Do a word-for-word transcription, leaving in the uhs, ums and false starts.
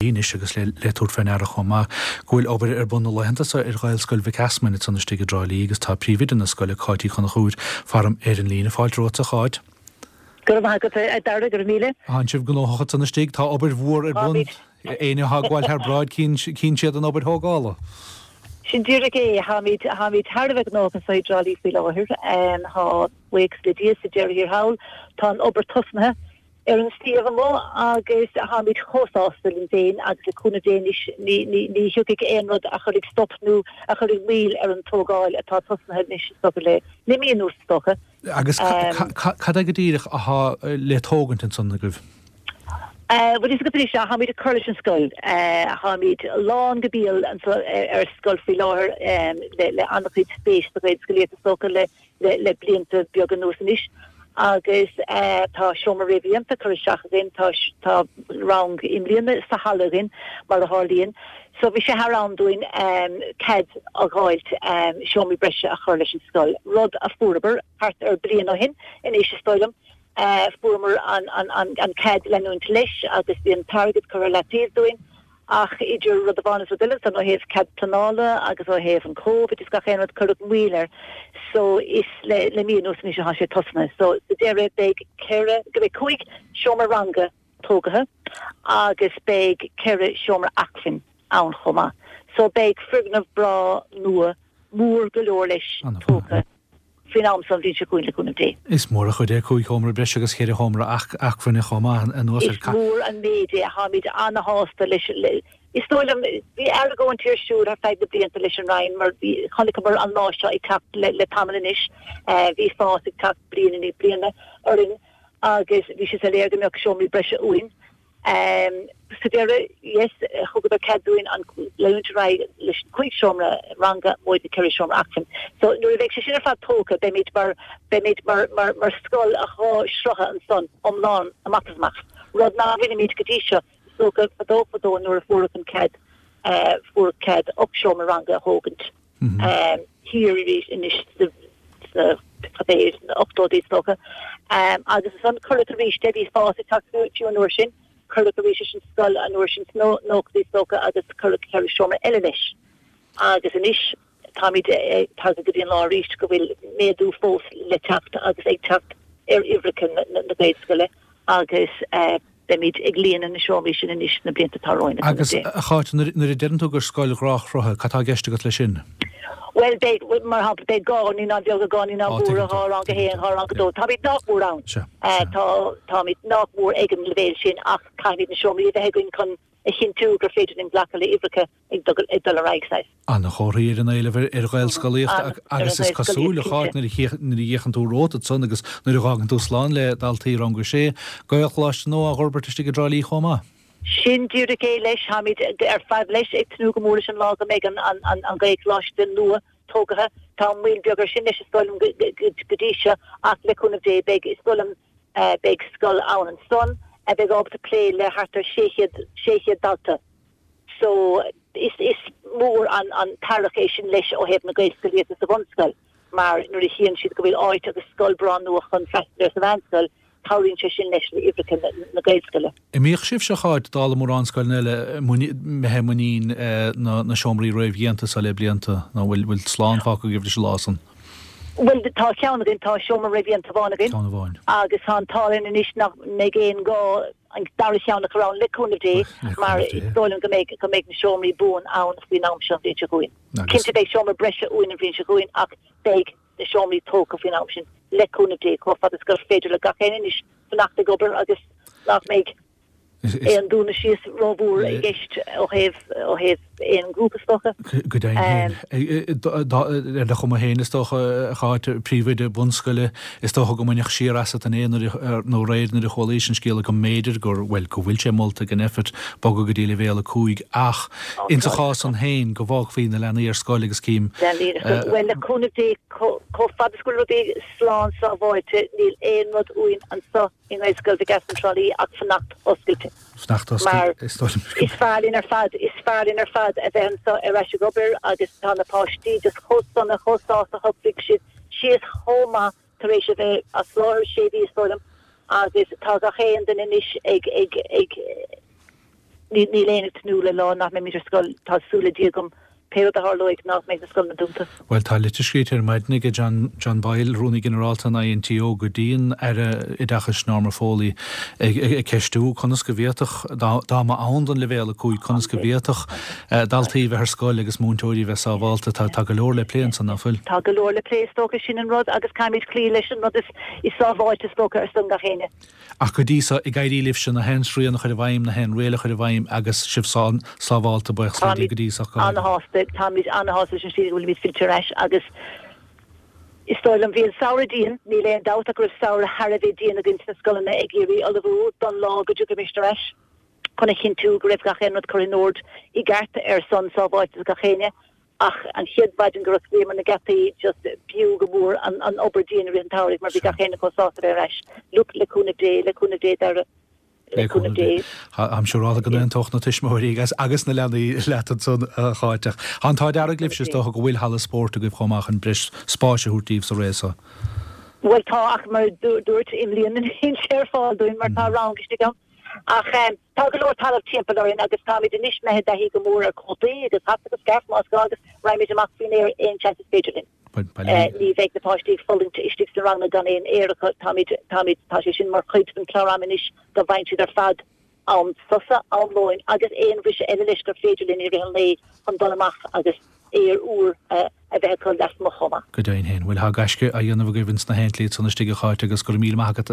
Lí anois agus le le tabhairt faoi ndeara chomh maith go bhfuil obair ar bun na laethanta seo ar Ghaelscoil Mhic Easmainn ansan istigh i dTrá Lí agus tá príomhoide na scoile Cáit Uí Chonchúir faram ar an líne fáilte romhat a Cháit. Go raibh maith agat a Dara go raibh míle. Tá sibh gnóthach ansan istigh tá obair mhór ar bun éinne atá ag gabháil thar bráid cíonn siad an obair thógála. Sin díreach é táimid táimid thar a bheith gnóthach anseo i dTrá Lí faoi láthair tá buíochas le Dia sa deireadh thiar thall tá an obair tosnaithe ar an suíomh amuigh agus táimid chomh sásta linn féin agus le cúnamh Dé anois ní ní ní thiocfaidh aon rud a chuirfidh stop nó a chuirfidh moill ar an tógáil atá tosnaithe anois is dócha le le mí anuas is dócha. Agus cad é go díreach atá le tógaint ansan agaibh? Bhuel is go dtí seo táimid ag cur leis an scoil táimid lán go béal ar scoil faoi láthair le le an-chuid spéis sa Ghaelscolaíocht is dócha le le le blianta beaga anuas anois agus tá seomra réamhdhéanta curtha isteach againn tá tá rang i mbliana sa halla againn mar a tharlaíonn. So bhí sé thar am dúinn cead a fháilt seomraí breise a chur leis an scoil. Rud a fuaireamar thart ar bliain ó shin anois is dóigh liom. Fuaireamar an an an an cead leanúint leis agus bhí an t-airgead curtha le taobh dúinn ach idir rud amháin is rud eile san ó thaobh cead pleanála agus ó thaobh an COVID is gach aon rud cuireadh moill air so is le le mí anuas anois atá sé tosnaithe so sa deireadh beidh ceithre go beidh cúig seomra ranga tógtha agus beidh ceithre seomra acmhainn ann chomh maith. So beidh foirgneamh breá nua mór go leor leis tógtha faoin am san bhliain seo chugainn le cúnamh Dé. Is mór an chuid é cúig sheomra breise agus ceithre sheomra acmhainne chomh maith anuas ar Is mór an méid é táimid an-sásta leis Is dóigh liom bhí argóint ar siúl ar feadh na blianta leis an Roinn mar bhí chonaiceamar an lá seo ag teacht le, le tamall anois bhí fás ag teacht bliain i ndiaidh bliana orainn agus bhí sé soiléir go mbeadh seomraí breise uainn. Um, sa deireadh yes thugadar cead dúinn an leanúint ar aghaidh leis an cúig seomra ranga móide ceithre seomra acmhainn. So nuair a bheidh sé sin ar fad tógtha beimid mar beimid mar mar mar scoil a dhá shrutha ansan iomlán amach is amach. Rud nach bhfuilimid go dtí seo so go fadó fadó nuair a fuaireadh an cead uh, fuaireadh cead ocht seomra ranga a thógaint. Mm -hmm. um, thiar arís anois sa ochtóidí is dócha. Um, agus ansan cuireadh arís de bhí fás ag teacht fiú an uair sin, cuireadh arís leis an scoil an uair sin sna nóchaidí is dócha agus cuireadh ceithre seomra eile leis. Agus anois táimid tagtha go dtí an lá arís go bhfuil méadú fós le teacht agus ag teacht ar uimhreacha na, na, na Gaelscoile agus uh, beimid ag líonadh na seomraí sin anois na blianta atá romhainn. Agus a Cháit nuair a deireann tú gur scoil dhá shruth cad tá i gceist agat leis sin? Well beidh mar shampla beidh dhá naíonán bheaga dhá naíonán mhóra dhá rang a haon dhá rang a dó Táimid nach mór ann tá táimid nach mór ag an leibhéal sin ach caithfimid na seomraí a bheith againn chun a chinntiú gur féidir linn glacadh le uimhreacha ag ag dul ar aghaidh saghas. An-chomhartha ar an éileamh ar Ghaelscolaíocht agus is cosúil a Cháit nuair a fhéachann tú romhat ansan agus nuair a fhágann tú slán le daltaí rang a sé, Gaelcholáiste nua á fhorbairt istigh i dTrá Lí chomh maith. Sin díreach é leis táimid ar fad leis ag tnúth go mór leis an lá go mbeidh an an an Gaelcholáiste nua tógtha Tá moill beag air sin leis is dóigh liom go dtí seo ach le cúnamh Dé beidh is dóigh liom beidh scoil ann ansan a bheidh ábalta plé le thart ar sé chéad sé chéad dalta. So is is mór an an t-earrach é sin leis ó thaobh na Gaelscolaíochta sa bhunscoil, mar nuair a chíonn siad go bhfuil áit agus scoil breá nua chun freastal ar sa mheánscoil, cabhraíonn sé sin leis le uimhreacha na Gaelscoile. An mbíodh sibhse a Cháit dála mórán scoileanna eile imithe i muinín na na seomraí réamhdhéanta seo le blianta nó bhfuil bhfuil slán fágtha agaibh leis an lá san? Bhuel tá ceann againn tá seomra réamhdhéanta amháin againn. Ceann amháin. Agus tá an t-ádh linn anois nach mbeidh aon gá an dara cheann a chur ann le cúnamh Dé mar is dóigh liom go mbeidh go mbeidh na seomraí buan ann faoin am seo an bhliain seo chugainn. Cinnte beidh seomra breise uainn an bhliain seo chugainn ach beidh na seomraí tógtha faoin am sin le cúnamh Dé chomh fada is gur féidir le gach éinne anois fanacht ag obair agus nach mbeidh aon dúnadh síos rómhór i gceist ó thaobh ó thaobh aon ghrúpa is dócha. Go deimhin féin. Ar do chuma féin is dócha a Cháit príomhoide bunscoile is dócha go mbaineadh siar asat inné nó aréir nuair a chualaís an scéal go mb'fhéidir gur bhuel go bhfuil sé molta ag an Nphet bogadh go dtí leibhéal a cúig ach insa chás san féin go bhfágfaí na leanaí ar scoil agus cím Leanaí ar scoil. Bhuel le cúnamh Dé chomh fada is go bhfuil rudaí slán sábháilte níl aon rud uainn anseo i nGaelscoil Mhic Easmainn Trá Lí ach fanacht oscailte. Fanacht oscailte is dóigh liom. Is fearr linn ar fad, is fearr linn ar fad a bheith anseo ar ais ag obair agus tá na páistí just chomh sona, chomh sásta, shocraigh siad síos chomh maith tar éis a bheith as láthair sé mhí is dóigh liom agus tá gach aon duine anois ag ag ag Níl éinne ag tnúth le lá nach mbeimid ar scoil, tá súil le Dia agam pé rud a tharlóidh nach mbeidh na scoileanna dúnta. Bhuel tá litir scríte ar maidin ag John, John Boyle, Rúnaí Ginearálta an INTO go dtí an Aire Oideachais Norma Foley ag, ag, ag ceistiú conas go bhféadfadh dá, dá mba ann don leibhéal a cúig conas go bhféadfadh eh, daltaí bheith ar scoil agus múinteoirí bheith sábháilte tá, tá go leor le plé ansan nach bhfuil. Tá go leor le plé is dócha sin an rud agus caithfimid cloí leis an rud is, is sábháilte is dócha ar son gach éinne. Ach go dtí so ag éirí libhse na haon srian a chur i bhfeidhm na haon riail a chur i bhfeidhm agus sibh sán sábháilte buíochas le Dia go dtí so go háirithe. Ana-shásta, táimid ana-shásta leis an slí go bhfuilimid fillte ar ais agus is dóigh liom bhí an samhradh dian, níl aon dabht ach go raibh samhradh thar a bheith dian againn sna scoileanna ag iarraidh ullmhú don lá go dtiocfaimis ar ais chun a chinntiú go raibh gach aon rud curtha in ord i gceart ar son sábháilteacht gach éinne. Ach an chéad mhaidin gur osclaíomar na geataí just b'fhiú go mór an, an obair dian i rith an tsamhraidh mar bhí gach éinne chomh sásta bheith ar ais. Look le cúnamh Dé, le cúnamh Dé Dara, le cúnamh Dé. Táim siúráilte go n-aontódh na tuismitheoirí agus agus na leanaí leat ansan a Cháit. Tá an t-ádh dearg libhse is dócha go bhfuil halla spóirt agaibh chomh maith chun breis spáis a thabhairt daoibh sa ré so. Bhuel tá ach mar dúirt i mbliana níl sé ar fáil dúinn mar tá rang istigh ann. Ach um, tá go leor talamh timpeall orainn agus táimid anois imithe i dtaithí go mór ar cótaí agus hata agus scairf más gá agus raghaimid amach faoin aer aon seans is féidir linn. Uh, ní bheidh na páistí ag fulaingt istigh sna ranganna gan aon aer acu táimid táimid tá sé sin mar chuid den chlár am anois go bhfaigheann siad ar fad am sosa am lóin agus aon bhriseadh eile leis gur féidir linn i rith an lae chun dul amach agus aer úr uh, a bheith acu lasmuigh chomh maith. Go deimhin féin, bhuel tá gaisce á dhéanamh agaibh ins na haon tslí san istigh a Cháit agus go raibh míle maith agat